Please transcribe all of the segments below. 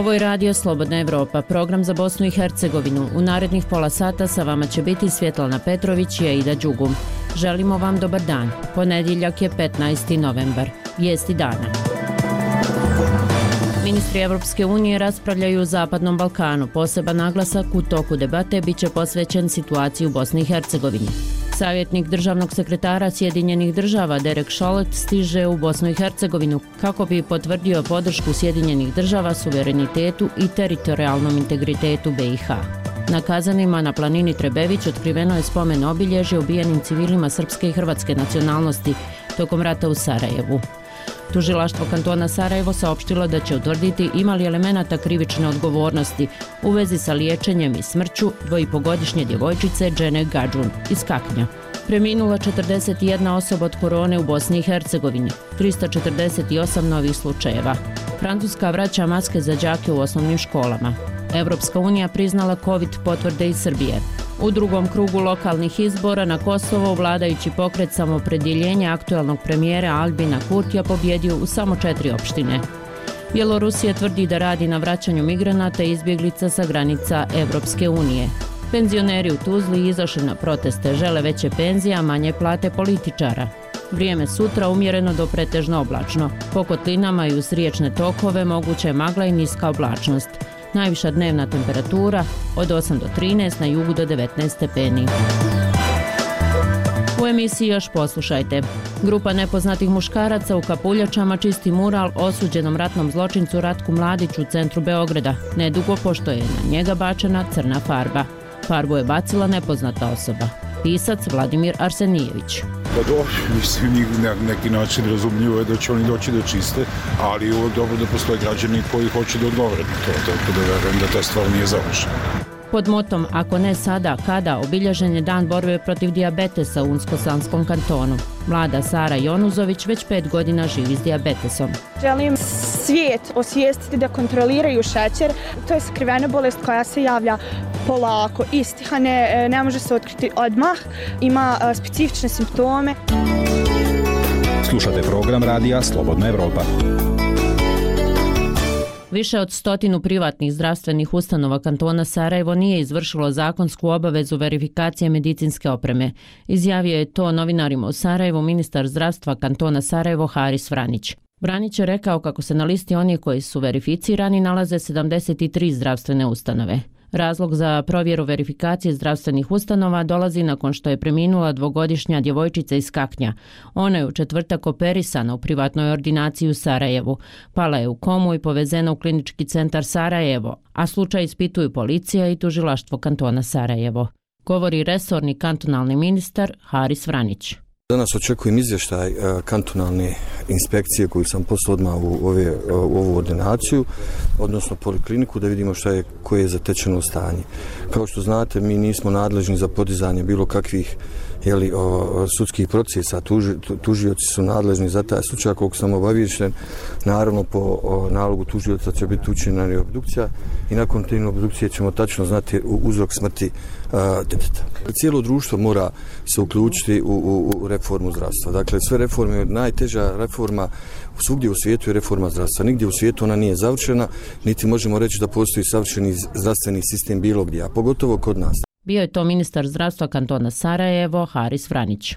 Ovo je Radio Slobodna Evropa, program za Bosnu i Hercegovinu. U narednih pola sata sa vama će biti Svjetlana Petrović i Aida Đugum. Želimo vam dobar dan. Ponedjeljak je 15. novembar. Vijesti dana. Ministri Evropske unije raspravljaju o Zapadnom Balkanu. Poseban naglasak u toku debate biće posvećen situaciji u Bosni i Hercegovini. Savjetnik državnog sekretara Sjedinjenih država Derek Chollet stiže u Bosnu i Hercegovinu kako bi potvrdio podršku Sjedinjenih država suverenitetu i teritorijalnom integritetu BiH. Na Kazanima na planini Trebević otkriveno je spomen obilježje ubijenim civilima srpske i hrvatske nacionalnosti tokom rata u Sarajevu. Tužilaštvo kantona Sarajevo saopštilo da će utvrditi ima li elemenata krivične odgovornosti u vezi sa liječenjem i smrću dvojipogodišnje djevojčice Džene Gadžun iz Kaknja. Preminula 41 osoba od korone u Bosni i Hercegovini, 348 novih slučajeva. Francuska vraća maske za đake u osnovnim školama. Evropska unija priznala COVID potvrde iz Srbije. U drugom krugu lokalnih izbora na Kosovo vladajući pokret Samoopredjeljenja aktuelnog premijera Albina Kurtija pobjedio u samo 4 opštine. Bjelorusija tvrdi da radi na vraćanju migranata i izbjeglica sa granica Evropske unije. Penzioneri u Tuzli izašli na proteste, žele veće penzije, a manje plate političara. Vrijeme sutra umjereno do pretežno oblačno. Po kotlinama i uz riječne tokove moguća je magla i niska oblačnost. Najviša dnevna temperatura od 8 do 13, na jugu do 19 stepeni. U emisiji još poslušajte. Grupa nepoznatih muškaraca u kapuljačama čisti mural osuđenom ratnom zločincu Ratku Mladiću u centru Beograda, nedugo pošto je na njega bačena crna farba. Farbu je bacila nepoznata osoba. Pisac Vladimir Arsenijević. Pa dobro, mislim, na neki način razumljivo je da će oni doći da čiste, ali je uvijek dobro da postoje građani koji hoće da odgovore na to, tako da verujem da ta stvar nije završena. Pod motom "Ako ne sada, kada" obilježen je dan borbe protiv dijabetesa u Unsko-Sanskom kantonu. Mlada Sara Jonuzović već 5 godina živi s dijabetesom. Želim svijet osvijestiti da kontroliraju šećer. To je skrivena bolest koja se javlja polako, istiha, ne može se otkriti odmah, ima specifične simptome. Slušate program Radija Slobodna Evropa. Više od 100 privatnih zdravstvenih ustanova kantona Sarajevo nije izvršilo zakonsku obavezu verifikacije medicinske opreme. Izjavio je to novinarima u Sarajevu ministar zdravstva kantona Sarajevo Haris Vranić. Vranić je rekao kako se na listi onih koji su verificirani nalaze 73 zdravstvene ustanove. Razlog za provjeru verifikacije zdravstvenih ustanova dolazi nakon što je preminula 2-godišnja djevojčica iz Kaknja. Ona je u četvrtak operisana u privatnoj ordinaciji u Sarajevu. Pala je u komu i povezena u klinički centar Sarajevo, a slučaj ispituju policija i tužilaštvo kantona Sarajevo. Govori resorni kantonalni ministar Haris Vranić. Danas očekujem izvještaj kantonalne inspekcije koju sam poslao odmah u ovu ordinaciju, odnosno polikliniku, da vidimo koje je zatečeno stanje. Kao što znate, mi nismo nadležni za podizanje bilo kakvih sudskih procesa, tužioci su nadležni za taj slučaj. Koliko sam obaviješten, naravno po nalogu tužioca će biti učinjena obdukcija i nakon te obdukcije ćemo tačno znati uzrok smrti djeteta. Cijelo društvo mora se uključiti u reformu zdravstva. Dakle, sve reforme, najteža reforma svugdje u svijetu je reforma zdravstva. Nigdje u svijetu ona nije završena, niti možemo reći da postoji savršeni zdravstveni sistem bilo gdje, a pogotovo kod nas. Bio je to ministar zdravstva kantona Sarajevo, Haris Vranić.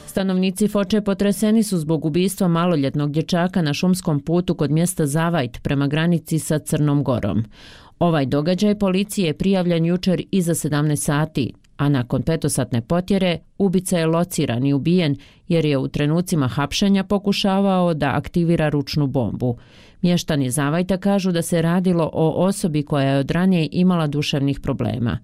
Stanovnici Foče potreseni su zbog ubistva maloljetnog dječaka na šumskom putu kod mjesta Zavajt prema granici sa Crnom Gorom. Ovaj događaj policije je prijavljen jučer iza 17 sati, a nakon 5-satne potjere ubica je lociran i ubijen jer je u trenucima hapšenja pokušavao da aktivira ručnu bombu. Mještani Zavajta kažu da se radilo o osobi koja je od ranije imala duševnih problema.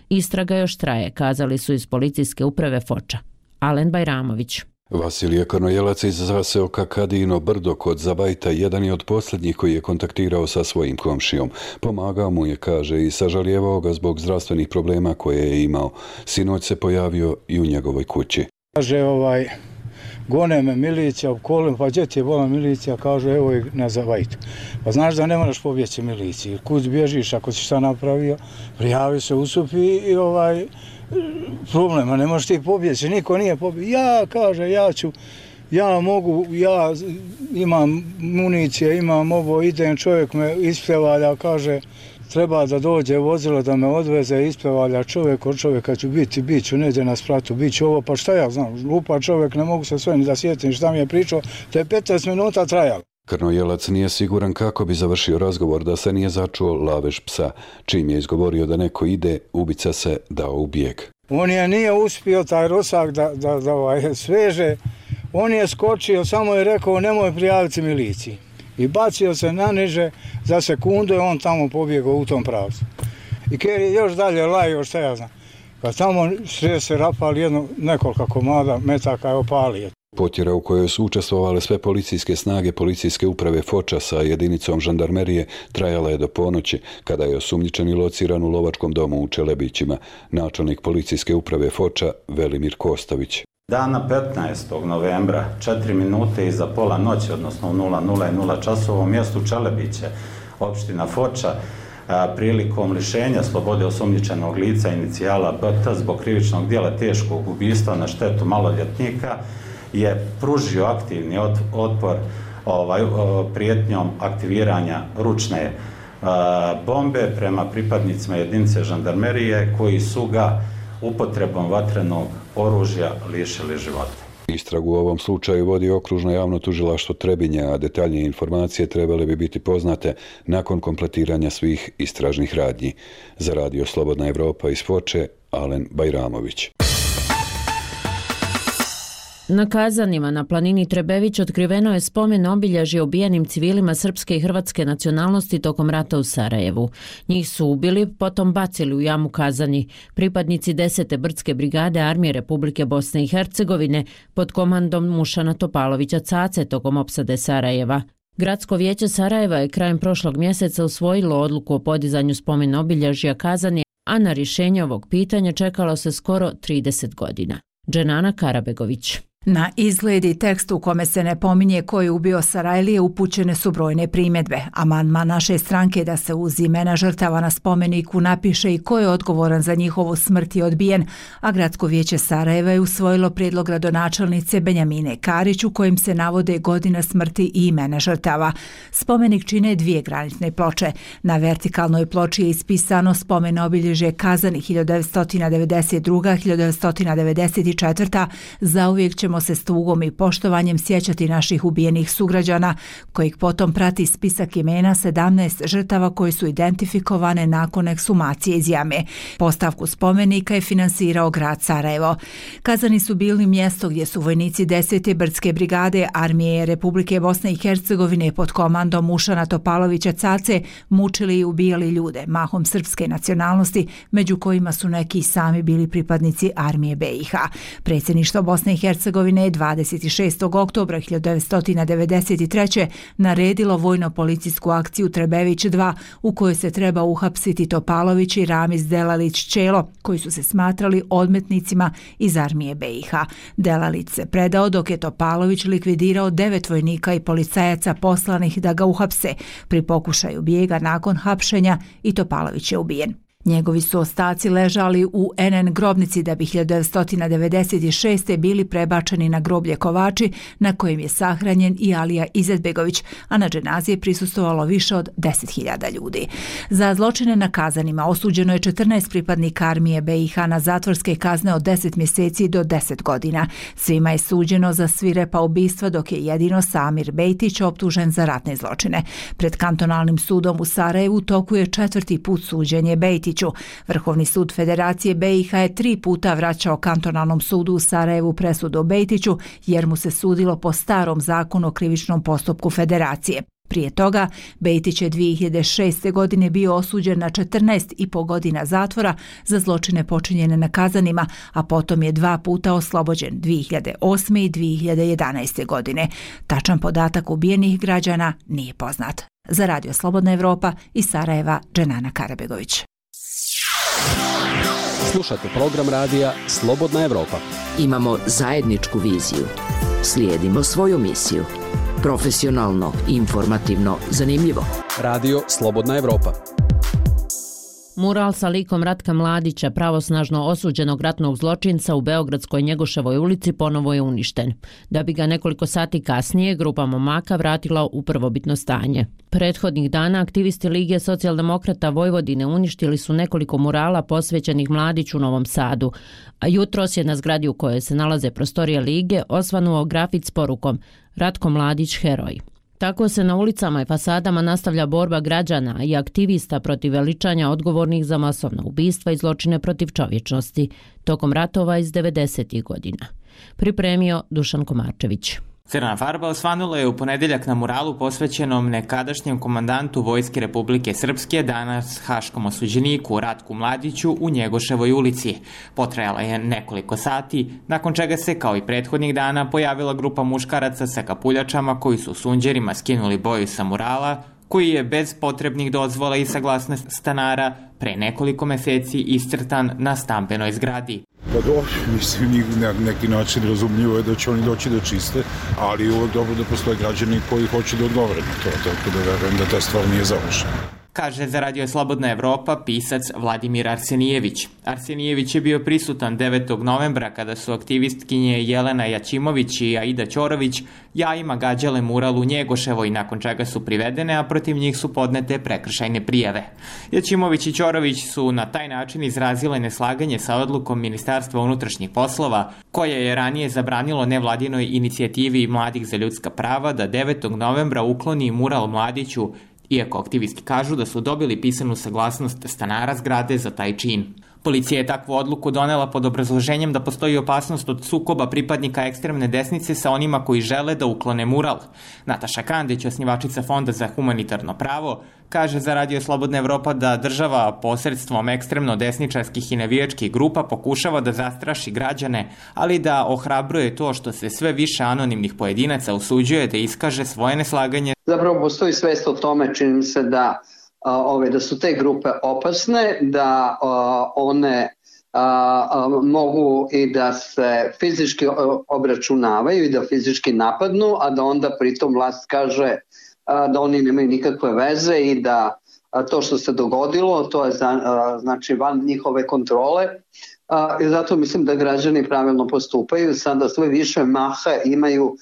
Istraga još traje, kazali su iz policijske uprave Foča. Alen Bajramović. Vasilije Kornojelac iz zaseoka Kadino Brdo kod Zavajta jedan je od posljednjih koji je kontaktirao sa svojim komšijom. Pomagao mu je, kaže, i sažalijevao ga zbog zdravstvenih problema koje je imao. Sinoć se pojavio i u njegovoj kući. Kaže, gone me milicija u kolima, pa gdje ti je bola milicija, kaže, evo je na Zavajtu. Pa znaš da ne moraš pobjeći miliciji, kud bježiš ako si šta napravio, prijavi se usupi i problema, ne možeš ti pobjeći, niko nije pobjeći. Ja ću ja imam municije, imam ovo, idem, čovjek me ispevalja, kaže treba da dođe vozilo da me odveze, ispevalja čovjek, od čovjeka ću bit ću neđe na spratu, bit ću ovo, pa šta ja znam, lupa čovjek, ne mogu se sve ni da sjetim šta mi je pričao, to je 15 minuta trajalo. Krnojelac nije siguran kako bi završio razgovor da se nije začuo lavež psa. Čim je izgovorio da neko ide, ubica se dao u bijeg. On nije uspio taj rosak da sveže, on je skočio, samo je rekao nemoj prijaviti miliciji. I bacio se na niže, za sekundu je on tamo pobjegao u tom pravcu. I Ker je još dalje lajio, šta ja znam. Kad tamo se rapali nekoliko komada metaka je opalio. Potjera u kojoj su učestvovale sve policijske snage policijske uprave Foča sa jedinicom žandarmerije trajala je do ponoći, kada je osumnjičeni lociran u lovačkom domu u Čelebićima, načelnik policijske uprave Foča Velimir Kostović. Dana 15. novembra, 4 minute iza pola noći, odnosno u 00:00 časova u mjestu Čelebiće, opština Foča, prilikom lišenja slobode osumnjičenog lica inicijala BT zbog krivičnog djela teškog ubistva na štetu maloljetnika, je pružio aktivni otpor prijetnjom aktiviranja ručne bombe prema pripadnicima jedinice žandarmerije koji su ga upotrebom vatrenog oružja lišili života. Istragu u ovom slučaju vodi okružno javno tužilaštvo Trebinja, a detaljnije informacije trebale bi biti poznate nakon kompletiranja svih istražnih radnji. Za Radio Slobodna Evropa iz Foče, Alen Bajramović. Na Kazanima na planini Trebević otkriveno je spomen obilježje ubijenim civilima srpske i hrvatske nacionalnosti tokom rata u Sarajevu. Njih su ubili, potom bacili u jamu Kazani pripadnici 10. brdske brigade Armije Republike Bosne i Hercegovine pod komandom Mušana Topalovića Cace tokom opsade Sarajeva. Gradsko vijeće Sarajeva je krajem prošlog mjeseca usvojilo odluku o podizanju spomen obilježja Kazani, a na rješenje ovog pitanja čekalo se skoro 30 godina. Dženana Karabegović. Na izgled i tekst u kome se ne pominje ko je ubio Sarajlije upućene su brojne primjedbe. Amandman naše stranke da se uz imena žrtava na spomeniku napiše i ko je odgovoran za njihovu smrt je odbijen, a Gradsko vijeće Sarajeva je usvojilo prijedlog gradonačelnice Benjamine Karić u kojem se navode godina smrti i imena žrtava. Spomenik čine 2 granitne ploče. Na vertikalnoj ploči je ispisano spomen obilježje Kazani 1992-1994. Zauvijek ćemo se s tugom i poštovanjem sjećati naših ubijenih sugrađana, kojih potom prati spisak imena 17 žrtava koje su identifikovane nakon ekshumacije iz jame. Postavku spomenika je finansirao grad Sarajevo. Kazani su bili mjesto gdje su vojnici 10. brdske brigade Armije Republike Bosne i Hercegovine pod komandom Mušana Topalovića Cace mučili i ubijali ljude, mahom srpske nacionalnosti, među kojima su neki sami bili pripadnici Armije BiH. Predsjedništvo Bosne i Hercegovine je 26. oktobra 1993. naredilo vojno-policijsku akciju Trebević 2 u kojoj se treba uhapsiti Topalović i Ramiz Delalić-Čelo, koji su se smatrali odmetnicima iz Armije BiH. Delalić se predao dok je Topalović likvidirao 9 vojnika i policajaca poslanih da ga uhapse. Pri pokušaju bijega nakon hapšenja i Topalović je ubijen. Njegovi su ostaci ležali u NN grobnici da bi 1996. bili prebačeni na groblje Kovači na kojem je sahranjen i Alija Izetbegović, a na dženazi je prisustvovalo više od 10.000 ljudi. Za zločine na Kazanima osuđeno je 14 pripadnika Armije BiH na zatvorske kazne od 10 mjeseci do 10 godina. Svima je suđeno za svirepa ubistva, dok je jedino Samir Bejtić optužen za ratne zločine. Pred kantonalnim sudom u Sarajevu toku je 4. put suđenje Bejtiću. Vrhovni sud Federacije BiH je 3 puta vraćao kantonalnom sudu u Sarajevu presudu o Bejtiću jer mu se sudilo po starom zakonu o krivičnom postupku Federacije. Prije toga, Bejtić je 2006. godine bio osuđen na 14,5 godina zatvora za zločine počinjene na Kazanima, a potom je 2 puta oslobođen 2008. i 2011. godine. Tačan podatak ubijenih građana nije poznat. Za Radio Slobodna Evropa iz Sarajeva, Dženana Karabegović. Slušate program radija Slobodna Evropa. Imamo zajedničku viziju. Slijedimo svoju misiju. Profesionalno, informativno, zanimljivo. Radio Slobodna Evropa. Mural sa likom Ratka Mladića, pravosnažno osuđenog ratnog zločinca u Beogradskoj Njegoševoj ulici, ponovo je uništen, da bi ga nekoliko sati kasnije grupa momaka vratila u prvobitno stanje. Prethodnih dana aktivisti Lige socijaldemokrata Vojvodine uništili su nekoliko murala posvećenih Mladiću u Novom Sadu, a jutros je na zgradi u kojoj se nalaze prostorije Lige osvanuo grafit s porukom Ratko Mladić heroj. Tako se na ulicama i fasadama nastavlja borba građana i aktivista protiv veličanja odgovornih za masovna ubistva i zločine protiv čovječnosti tokom ratova iz 90. godina. Pripremio Dušan Komarčević. Crna farba osvanula je u ponedeljak na muralu posvećenom nekadašnjem komandantu Vojske Republike Srpske, danas haškom osuđeniku Ratku Mladiću u Njegoševoj ulici. Potrajala je nekoliko sati, nakon čega se, kao i prethodnih dana, pojavila grupa muškaraca sa kapuljačama koji su sunđerima skinuli boju sa murala, koji je bez potrebnih dozvola i saglasnosti stanara pre nekoliko meseci iscrtan na stambenoj zgradi. Pa dobro, mislim, njih na neki način razumljivo je da će oni doći da čiste, ali je uvijek dobro da postoje građani koji hoće da odgovore na to, tako da verujem da ta stvar nije završena. Kaže za Radio Slobodna Evropa pisac Vladimir Arsenijević. Arsenijević je bio prisutan 9. novembra kada su aktivistkinje Jelena Jačimović i Aida Ćorović jajima gađale mural u Njegoševoj, nakon čega su privedene, a protiv njih su podnete prekršajne prijave. Jačimović i Ćorović su na taj način izrazile neslaganje sa odlukom Ministarstva unutrašnjih poslova, koje je ranije zabranilo nevladinoj inicijativi Mladih za ljudska prava da 9. novembra ukloni mural Mladiću, iako aktivisti kažu da su dobili pisanu saglasnost stanara zgrade za taj čin. Policija je takvu odluku donela pod obrazloženjem da postoji opasnost od sukoba pripadnika ekstremne desnice sa onima koji žele da uklone mural. Nataša Kandić, osnivačica Fonda za humanitarno pravo, kaže za Radio Slobodna Evropa da država posredstvom ekstremno desničarskih i navijačkih grupa pokušava da zastraši građane, ali da ohrabruje to što se sve više anonimnih pojedinaca usuđuje da iskaže svoje neslaganje. Zapravo postoji svest o tome, čini mi se da su te grupe opasne, da one mogu i da se fizički obračunavaju i da fizički napadnu, a da onda pritom vlast kaže da oni nemaju nikakve veze i da to što se dogodilo, to je znači van njihove kontrole. I zato mislim da građani pravilno postupaju. Sada sve više maha imaju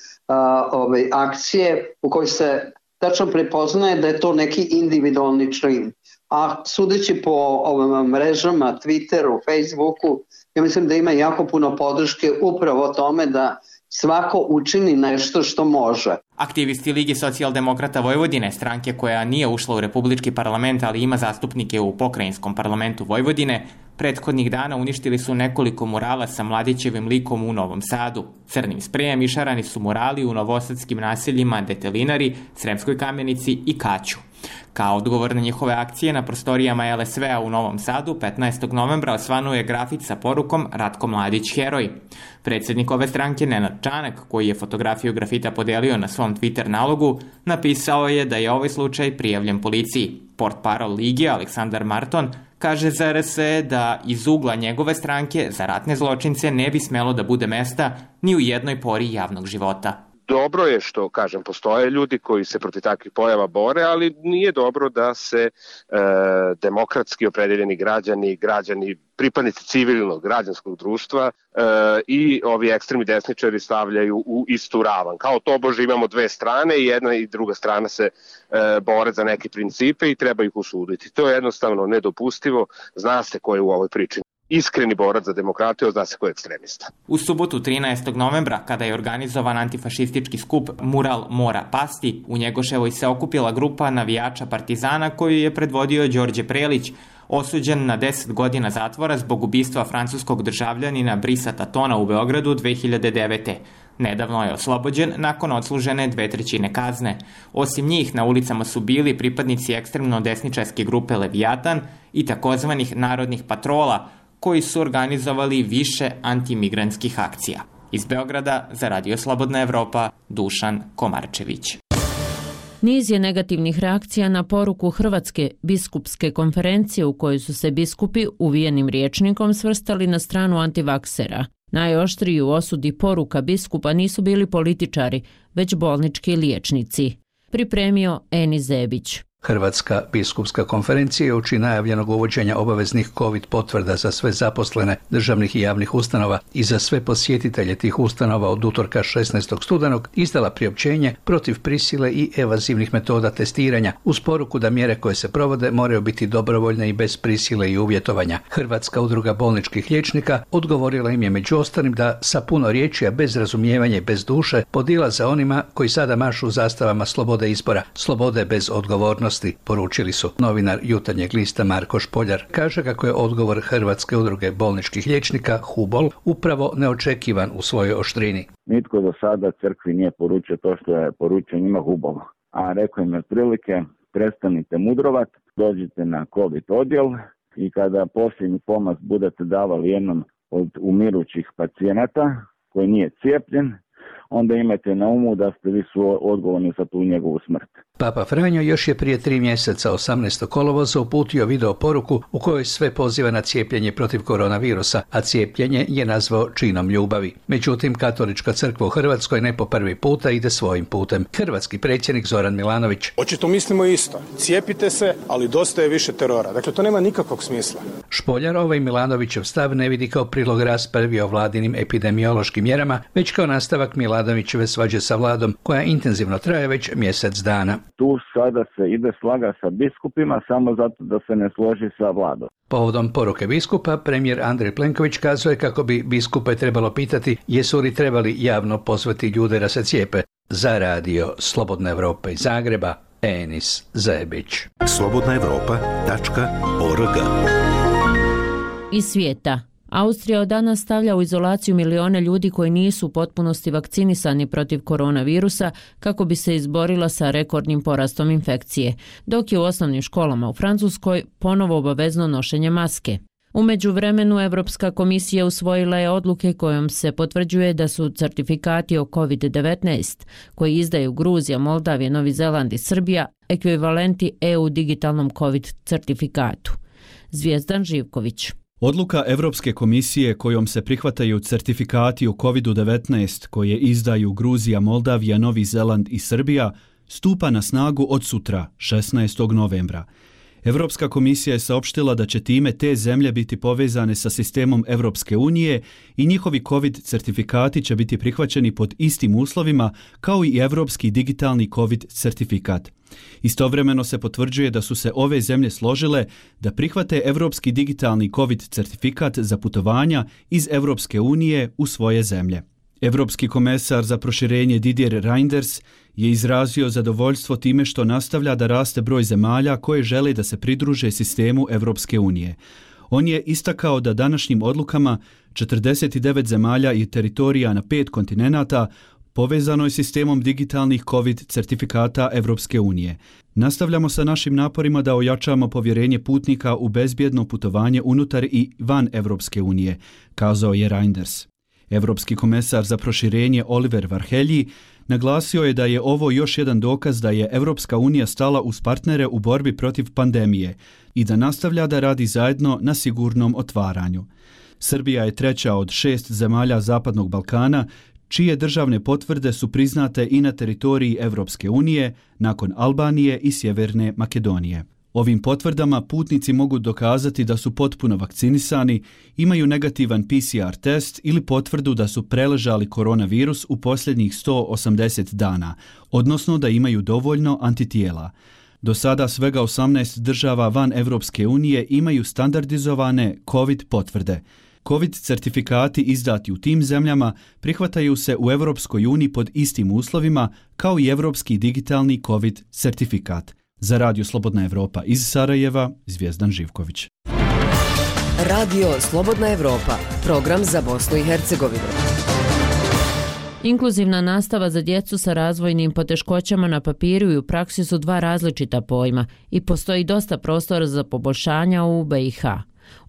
akcije u kojoj se tačno prepoznaje da je to neki individualni čin. A sudeći po ovim mrežama, Twitteru, Facebooku, ja mislim da ima jako puno podrške upravo tome da svako učini nešto što može. Aktivisti Lige socijaldemokrata Vojvodine, stranke koja nije ušla u Republički parlament, ali ima zastupnike u Pokrajinskom parlamentu Vojvodine, prethodnih dana uništili su nekoliko murala sa Mladićevim likom u Novom Sadu. Crnim sprejem išarani su murali u novosadskim naseljima Detelinari, Sremskoj Kamenici i Kaću. Kao odgovor na njihove akcije na prostorijama LSV-a u Novom Sadu 15. novembra osvanuo je grafit sa porukom Ratko Mladić heroj. Predsjednik ove stranke Nenad Čanak, koji je fotografiju grafita podelio na svom Twitter nalogu, napisao je da je ovaj slučaj prijavljen policiji. Portparol Lige Aleksandar Marton kaže za RSE da iz ugla njegove stranke za ratne zločince ne bi smelo da bude mesta ni u jednoj pori javnog života. Dobro je što, kažem, postoje ljudi koji se protiv takvih pojava bore, ali nije dobro da se demokratski opredeljeni građani, pripadnici civilnog građanskog društva i ovi ekstremni desničari stavljaju u istu ravan. Kao tobože imamo dve strane i jedna i druga strana se bore za neke principe i treba ih osuditi. To je jednostavno nedopustivo, zna se ko je u ovoj priči iskreni borac za demokratiju, zna se ko je ekstremista. U subotu 13. novembra, kada je organizovan antifašistički skup Mural mora pasti, u Njegoševoj se okupila grupa navijača Partizana koju je predvodio Đorđe Prelić, osuđen na 10 godina zatvora zbog ubistva francuskog državljanina Brisa Tatona u Beogradu 2009. Nedavno je oslobođen nakon odslužene 2/3 kazne. Osim njih, na ulicama su bili pripadnici ekstremno desničarske grupe Leviatan i takozvanih narodnih patrola, koji su organizovali više antimigrantskih akcija. Iz Beograda za Radio Slobodna Evropa, Dušan Komarčević. Niz je negativnih reakcija na poruku Hrvatske biskupske konferencije u kojoj su se biskupi uvijenim rječnikom svrstali na stranu antivaksera. Najoštriji u osudi poruka biskupa nisu bili političari, već bolnički liječnici. Pripremio Eni Zebić. Hrvatska biskupska konferencija je uoči najavljenog uvođenja obaveznih COVID potvrda za sve zaposlene državnih i javnih ustanova i za sve posjetitelje tih ustanova od utorka 16. studenog izdala priopćenje protiv prisile i evazivnih metoda testiranja uz poruku da mjere koje se provode moraju biti dobrovoljne i bez prisile i uvjetovanja. Hrvatska udruga bolničkih liječnika odgovorila im je među ostalim da sa puno riječi, a bez razumijevanja i bez duše podilaze onima koji sada mašu zastavama slobode izbora, slobode bez odgovornosti, poručili su. Novinar Jutarnjeg lista Marko Špoljar kaže kako je odgovor Hrvatske udruge bolničkih liječnika HUBOL upravo neočekivan u svojoj oštrini. Nitko do sada crkvi nije poručio to što je poručio njima HUBOL, a rekao im je otprilike prestanite mudrovat, dođite na COVID odjel i kada posljednji pomaz budete davali jednom od umirućih pacijenata koji nije cijepljen, onda imajte na umu da ste vi su odgovorni za tu njegovu smrt. Papa Franjo još je prije 3 mjeseca 18. kolovoza uputio video poruku u kojoj sve poziva na cijepljenje protiv koronavirusa, a cijepljenje je nazvao činom ljubavi. Međutim, Katolička crkva u Hrvatskoj ne po prvi puta ide svojim putem. Hrvatski predsjednik Zoran Milanović. Očito mislimo isto. Cijepite se, ali dosta je više terora. Dakle, to nema nikakvog smisla. Špoljar ovaj Milanovićev stav ne vidi kao prilog raspravi o vladinim epidemiološkim mjerama, već kao nastavak Milanovićeve svađe sa vladom, koja intenzivno traje već mjesec dana. Tu sada se ide slaga sa biskupima samo zato da se ne složi sa vladom. Povodom poruke biskupa, premijer Andrej Plenković kazuje kako bi biskupe trebalo pitati jesu li trebali javno pozvati ljude da se cijepe. Za radio Slobodna Evropa iz Zagreba, Enis Zebić. slobodnaevropa.org. Iz svijeta. Austrija od danas stavlja u izolaciju milione ljudi koji nisu u potpunosti vakcinisani protiv koronavirusa kako bi se izborila sa rekordnim porastom infekcije, dok je u osnovnim školama u Francuskoj ponovo obavezno nošenje maske. U međuvremenu Evropska komisija usvojila je odluke kojom se potvrđuje da su certifikati o COVID-19 koji izdaju Gruzija, Moldavija, Novi Zeland i Srbija ekvivalenti EU digitalnom COVID certifikatu. Zvijezdan Živković. Odluka Evropske komisije kojom se prihvataju certifikati o COVID-19 koje izdaju Gruzija, Moldavija, Novi Zeland i Srbija stupa na snagu od sutra, 16. novembra. Evropska komisija je saopštila da će time te zemlje biti povezane sa sistemom Evropske unije i njihovi COVID certifikati će biti prihvaćeni pod istim uslovima kao i evropski digitalni COVID certifikat. Istovremeno se potvrđuje da su se ove zemlje složile da prihvate evropski digitalni COVID certifikat za putovanja iz Evropske unije u svoje zemlje. Evropski komesar za proširenje Didier Reynders je izrazio zadovoljstvo time što nastavlja da raste broj zemalja koje žele da se pridruže sistemu Evropske unije. On je istakao da današnjim odlukama 49 zemalja i teritorija na 5 kontinenata povezano je sistemom digitalnih COVID certifikata Evropske unije. Nastavljamo sa našim naporima da ojačamo povjerenje putnika u bezbjedno putovanje unutar i van Evropske unije, kazao je Reynders. Evropski komesar za proširenje Oliver Varhelyi naglasio je da je ovo još jedan dokaz da je Evropska unija stala uz partnere u borbi protiv pandemije i da nastavlja da radi zajedno na sigurnom otvaranju. Srbija je treća od 6 zemalja Zapadnog Balkana čije državne potvrde su priznate i na teritoriji Evropske unije nakon Albanije i Sjeverne Makedonije. Ovim potvrdama putnici mogu dokazati da su potpuno vakcinisani, imaju negativan PCR test ili potvrdu da su preležali koronavirus u posljednjih 180 dana, odnosno da imaju dovoljno antitijela. Do sada svega 18 država van Evropske unije imaju standardizovane COVID potvrde. COVID certifikati izdati u tim zemljama prihvataju se u Evropskoj uniji pod istim uslovima kao i Evropski digitalni COVID certifikat. Za Radio Slobodna Evropa iz Sarajeva, Zvijezdan Živković. Radio Slobodna Evropa, program za Bosnu i Hercegovinu. Inkluzivna nastava za djecu sa razvojnim poteškoćama na papiru i u praksi su dva različita pojma i postoji dosta prostora za poboljšanja u BiH.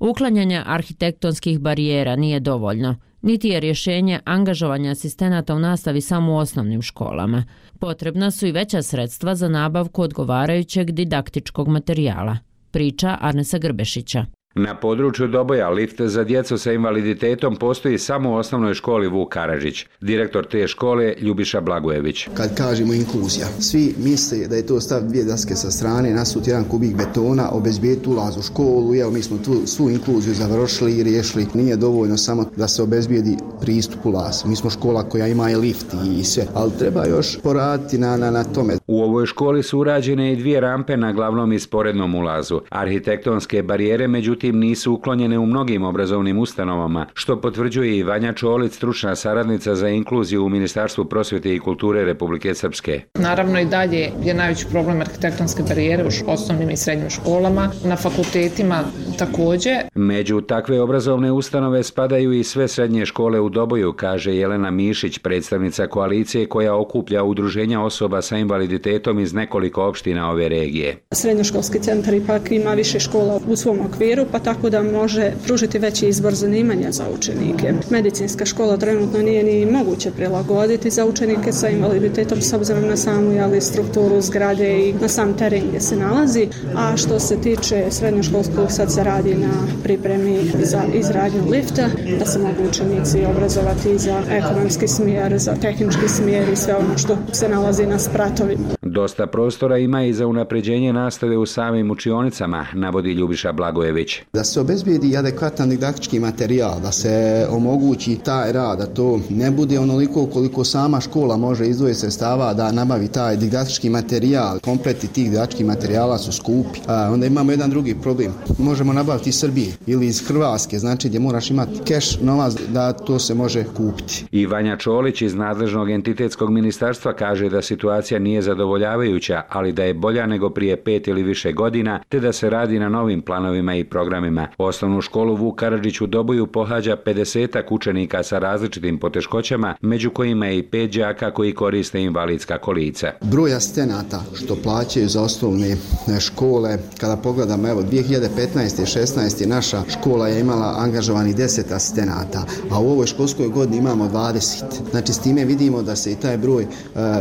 Uklanjanje arhitektonskih barijera nije dovoljno, niti je rješenje angažovanja asistenata u nastavi samo u osnovnim školama. Potrebna su i veća sredstva za nabavku odgovarajućeg didaktičkog materijala. Priča Arnesa Grbešića. Na području Doboja lift za djecu sa invaliditetom postoji samo u osnovnoj školi Vuk Karadžić. Direktor te škole Ljubiša Blagojević. Kad kažemo inkluzija, svi misle da je to stav dvije daske sa strane, nasuti jedan kubik betona, obezbijeti ulaz u školu, evo mi smo tu svu inkluziju završili i riješili. Nije dovoljno samo da se obezbijedi pristup ulaz. Mi smo škola koja ima i lift i sve, ali treba još poraditi na tome. U ovoj školi su urađene i 2 rampe na glavnom i sporednom ulazu. Arhitektonske barijere međutim nisu uklonjene u mnogim obrazovnim ustanovama, što potvrđuje i Vanja Čolić, stručna saradnica za inkluziju u Ministarstvu prosvjete i kulture Republike Srpske. Naravno i dalje je najveći problem arhitektonske barijere u osnovnim i srednjim školama, na fakultetima također. Među takve obrazovne ustanove spadaju i sve srednje škole u Doboju, kaže Jelena Mišić, predstavnica koalicije koja okuplja udruženja osoba sa invaliditetom iz nekoliko opština ove regije. Srednjoškolski centar ipak ima više škola u svom okviru, pa tako da može pružiti veći izbor zanimanja za učenike. Medicinska škola trenutno nije ni moguće prilagoditi za učenike sa invaliditetom s obzirom na samu strukturu zgrade i na sam teren gdje se nalazi. A što se tiče srednjoškolskog, sad se radi na pripremi za izradnju lifta, da se mogu učenici obrazovati za ekonomski smjer, za tehnički smjer i sve ono što se nalazi na spratovima. Dosta prostora ima i za unapređenje nastave u samim učionicama, navodi Ljubiša Blagojević. Da se obezbijedi adekvatan didaktički materijal, da se omogući taj rad, da to ne bude onoliko koliko sama škola može izdvojiti sredstava da nabavi taj didaktički materijal. Kompleti tih didaktičkih materijala su skupi. Onda imamo jedan drugi problem. Možemo nabaviti iz Srbije ili iz Hrvatske, znači gdje moraš imati keš, novac, da to se može kupiti. I Vanja Čolić iz nadležnog entitetskog ministarstva kaže da situacija nije zadovoljavajuća, ali da je bolja nego prije 5 ili više godina, te da se radi na novim planovima i programima. Osnovnu školu Vuk Karadžić u Doboju pohađa 50 učenika sa različitim poteškoćama, među kojima je i 5 đaka koji koriste invalidska kolica. Broj asistenata što plaćaju za osnovne škole, kada pogledamo, evo 2015. i 16. naša škola je imala angažovani 10 asistenata, a u ovoj školskoj godini imamo 20. Znači s time vidimo da se i taj broj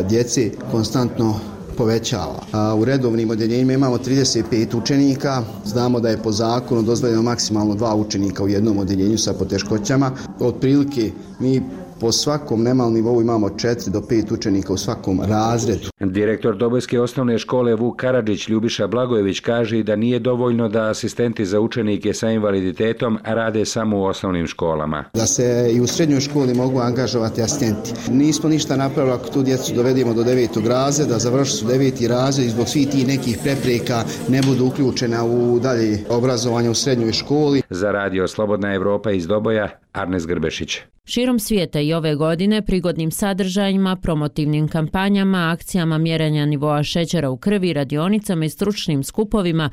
djece konstantno povećava. U redovnim odjeljenjima imamo 35 učenika. Znamo da je po zakonu dozvoljeno maksimalno 2 učenika u jednom odjeljenju sa poteškoćama. Otprilike mi po svakom nemalnom nivou imamo 4 do 5 učenika u svakom razredu. Direktor Dobojske osnovne škole Vuk Karadžić Ljubiša Blagojević kaže da nije dovoljno da asistenti za učenike sa invaliditetom rade samo u osnovnim školama. Da se i u srednjoj školi mogu angažovati asistenti. Nismo ništa napravili ako tu djecu dovedemo do 9. razreda, završili su 9. razred i zbog svih tih nekih prepreka ne budu uključena u dalje obrazovanje u srednjoj školi. Za Radio Slobodna Evropa iz Doboja, Arnes Grbešić. Širom svijeta i ove godine prigodnim sadržajima, promotivnim kampanjama, akcijama mjerenja nivoa šećera u krvi, radionicama i stručnim skupovima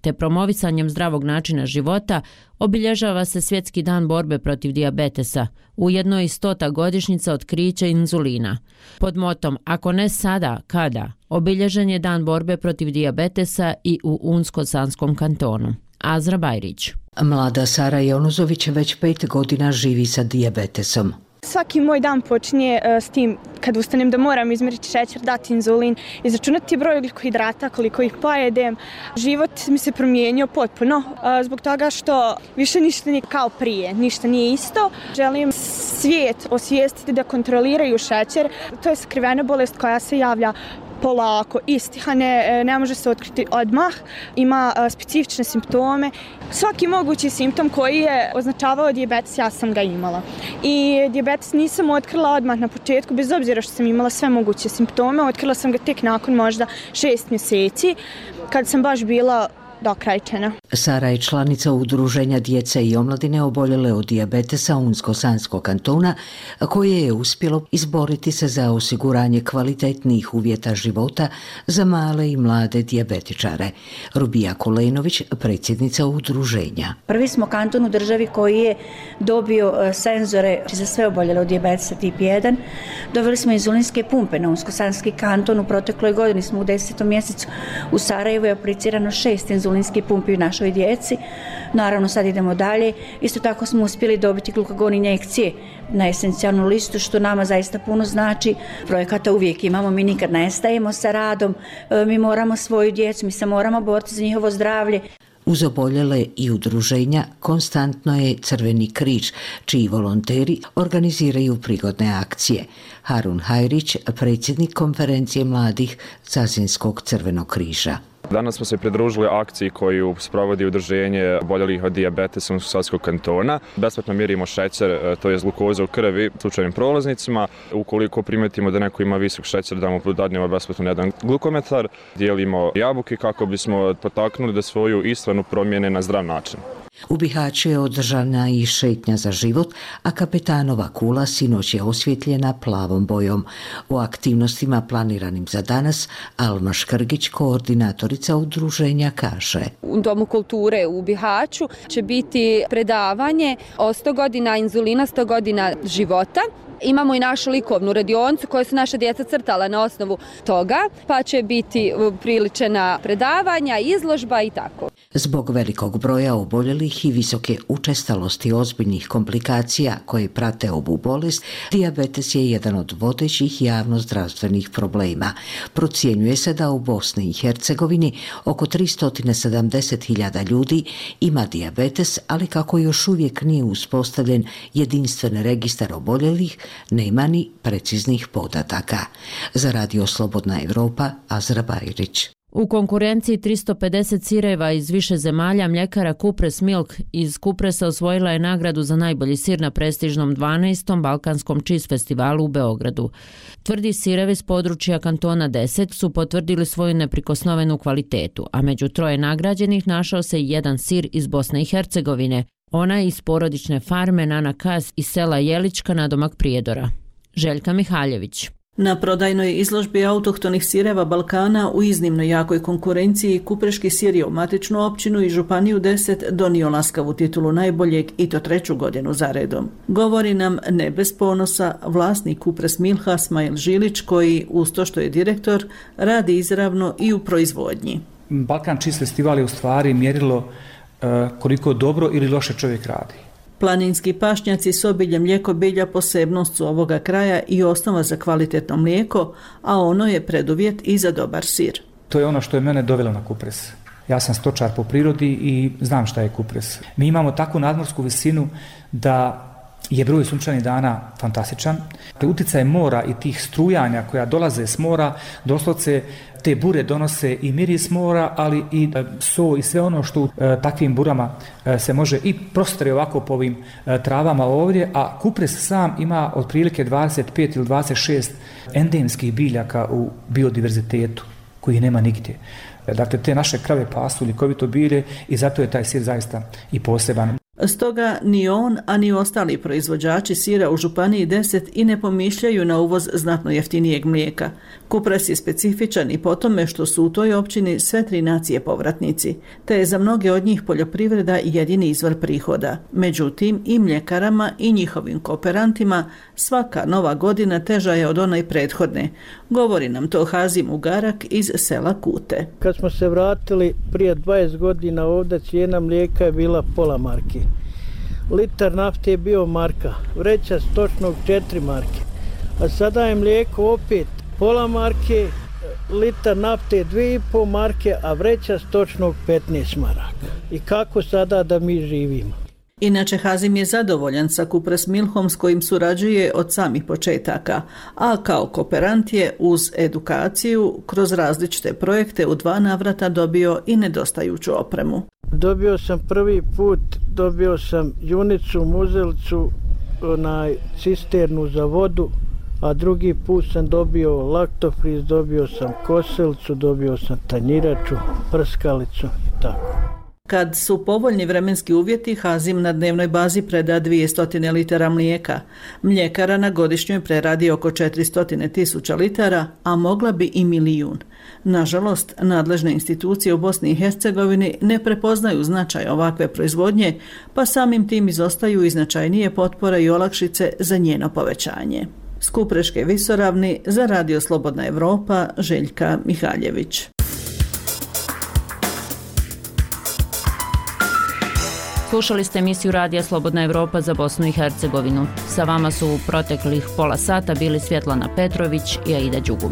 te promovisanjem zdravog načina života obilježava se Svjetski dan borbe protiv dijabetesa, ujedno i 100. godišnjica otkrića inzulina. Pod motom "Ako ne sada, kada?" obilježen je dan borbe protiv dijabetesa i u Unsko-Sanskom kantonu. Azra Bajrić. Mlada Sara Jonuzović već 5 godina živi sa dijabetesom. Svaki moj dan počinje s tim kad ustanem da moram izmjeriti šećer, dati inzulin, izračunati broj ugljikohidrata, koliko ih pojedem. Život mi se promijenio potpuno zbog toga što više ništa nije kao prije, ništa nije isto. Želim svijet osvijestiti da kontroliraju šećer. To je skrivena bolest koja se javlja polako, istiha, ne može se otkriti odmah, ima specifične simptome. Svaki mogući simptom koji je označavao dijabetes, ja sam ga imala. I dijabetes nisam otkrila odmah na početku, bez obzira što sam imala sve moguće simptome, otkrila sam ga tek nakon možda 6 mjeseci, kad sam baš bila dokrajčena. Sara je članica udruženja djece i omladine oboljele od dijabetesa Unsko-Sanskog kantona, koje je uspjelo izboriti se za osiguranje kvalitetnijih uvjeta života za male i mlade dijabetičare. Rubija Kulenović, predsjednica udruženja. Prvi smo kanton u državi koji je dobio senzore za sve oboljele od dijabetesa tip 1. Doveli smo inzulinske pumpe na Unsko-Sanski kanton. U protekloj godini smo u 10. mjesecu u Sarajevu je aplicirano 6 inzulinskih pumpi u našoj djeci. Naravno, sad idemo dalje. Isto tako smo uspjeli dobiti glukagon injekcije na esencijalnu listu, što nama zaista puno znači. Projekata uvijek imamo, mi nikad ne stajemo sa radom, mi moramo svoju djecu, mi se moramo boriti za njihovo zdravlje. Uz oboljele i udruženja konstantno je Crveni križ, čiji volonteri organiziraju prigodne akcije. Harun Hajrić, predsjednik konferencije mladih Zazinskog Crvenog križa. Danas smo se pridružili akciji koju sprovodi udruženje oboljelih od dijabetesa Unsko-Sanskog kantona. Besplatno mjerimo šećer, to je glukoza u krvi slučajnim prolaznicima. Ukoliko primetimo da neko ima visok šećer, dadnemo besplatno jedan glukometar. Dijelimo jabuke kako bismo potaknuli da svoju ishranu promijene na zdrav način. U Bihaću je održana i šetnja za život, a kapetanova kula sinoć je osvjetljena plavom bojom. O aktivnostima planiranim za danas Alma Škrgić, koordinatorica udruženja, kaže. U Domu kulture u Bihaću će biti predavanje o 100 godina inzulina, 100 godina života. Imamo i našu likovnu radionicu koju su naša djeca crtala na osnovu toga, pa će biti priličena predavanja, izložba i tako. Zbog velikog broja oboljelih i visoke učestalosti ozbiljnih komplikacija koje prate ovu bolest, dijabetes je jedan od vodećih javnozdravstvenih problema. Procjenjuje se da u Bosni i Hercegovini oko 370.000 ljudi ima dijabetes, ali kako još uvijek nije uspostavljen jedinstven registar oboljelih, nema ni preciznih podataka. Za Radio Slobodna Evropa, Azra Bajrić. U konkurenciji 350 sireva iz više zemalja mljekara Kupres Milk iz Kupresa osvojila je nagradu za najbolji sir na prestižnom 12. Balkanskom cheese festivalu u Beogradu. Tvrdi sirevi s područja kantona 10 su potvrdili svoju neprikosnovenu kvalitetu, a među 3 nagrađenih našao se i jedan sir iz Bosne i Hercegovine, ona iz porodične farme Nana Kas iz sela Jelička nadomak Prijedora. Željka Mihaljević. Na prodajnoj izložbi autohtonih sireva Balkana u iznimno jakoj konkurenciji Kupreški sir je u matičnu općinu i županiju 10 donio laskavu titulu najboljeg i to 3. godinu za redom. Govori nam ne bez ponosa vlasnik Kupres Milha Smajl Žilić, koji uz to što je direktor radi izravno i u proizvodnji. Balkan Cheese Festival je u stvari mjerilo koliko dobro ili loše čovjek radi. Planinski pašnjaci s obiljem mlijeko bilja posebnost su ovoga kraja i osnova za kvalitetno mlijeko, a ono je preduvjet i za dobar sir. To je ono što je mene dovelo na Kupres. Ja sam stočar po prirodi i znam šta je Kupres. Mi imamo takvu nadmorsku visinu da je broj sunčanih dana fantastičan. Utjecaj mora i tih strujanja koja dolaze s mora, doslovce te bure donose i miris mora, ali i so i sve ono što u takvim burama se može i prostre ovako po ovim travama ovdje, a Kupres sam ima otprilike 25 ili 26 endemskih biljaka u biodiverzitetu koji nema nigdje. Dakle, te naše krave pasu ljekovito bilje i zato je taj sir zaista i poseban. Stoga ni on, a ni ostali proizvođači sira u županiji 10 i ne pomišljaju na uvoz znatno jeftinijeg mlijeka. Kupres je specifičan i po tome što su u toj općini sve 3 nacije povratnici, te je za mnoge od njih poljoprivreda jedini izvor prihoda. Međutim, i mljekarama i njihovim kooperantima svaka nova godina teža je od onaj prethodne. Govori nam to Hazim Ugarak iz sela Kute. Kad smo se vratili prije 20 godina ovdje, cijena mlijeka je bila pola marke. Litar nafte je bio marka, vreća stočnog 4 marke, a sada je mlijeko opet pola marke, litar nafte 2,5 marke, a vreća stočnog 15 maraka. I kako sada da mi živimo? Inače, Hazim je zadovoljan sa Kupres Milhom s kojim surađuje od samih početaka, a kao kooperant je uz edukaciju kroz različite projekte u 2 navrata dobio i nedostajuću opremu. Dobio sam prvi put, dobio sam junicu, muzelicu, cisternu za vodu, a drugi put sam dobio laktofriz, dobio sam kosilicu, dobio sam tanjiraču, prskalicu i tako. Kad su povoljni vremenski uvjeti, Hazim na dnevnoj bazi preda 200 litara mlijeka. Mljekara na godišnjoj preradi oko 400.000 litara, a mogla bi i 1 milijun. Nažalost, nadležne institucije u Bosni i Hercegovini ne prepoznaju značaj ovakve proizvodnje, pa samim tim izostaju i značajnije potpore i olakšice za njeno povećanje. S Kupreške visoravni za Radio Slobodna Evropa, Željka Mihaljević. Slušali ste emisiju Radija Slobodna Evropa za Bosnu i Hercegovinu. Sa vama su u proteklih pola sata bili Svjetlana Petrović i Aida Đugum.